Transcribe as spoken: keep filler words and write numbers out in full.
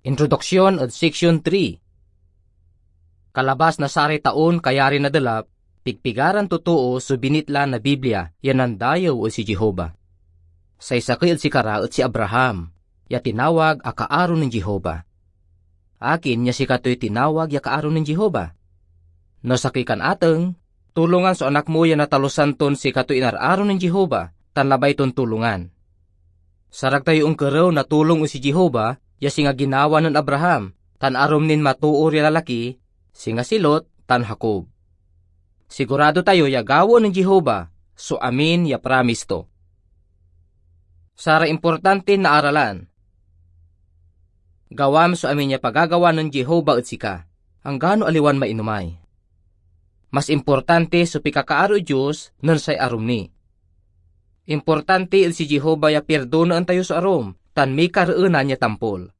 Introduksyon ed Seksyon three. Kalabas na saray taon kayari na delap, pigpigaran totoo so binitla na Biblia ya nandayew ed si Jehovah. Say sakey ed sikara et si Abraham, ya tinawag a kaaro nen Jehovah. Akin ya sikatoy tinawag ya kaaro nen Jehovah? No sakey kan ateng, tulongan so anak mo ya natalusan ton sikatoy inararo nen Jehovah tan labay ton tulongan. Sarag tayo onkerew na tulong ed si Jehovah ya singa ginawa nen Abraham tan arum nin matoor ya lalaki, singa si Lot tan Jacob. Sigurado tayo ya gawaen nen Jehovah so amin ya pramis to. Saray importantin naaralan. Gawam so amin ya pagagawa nen Jehovah ed sika, anggano aliwan mainomay. Mas importante so pikakaaro ed Dios nen say arum ni. Importante ed si Jehovah ya pirdonaen tayo so arum tan mikareenan ya tampol.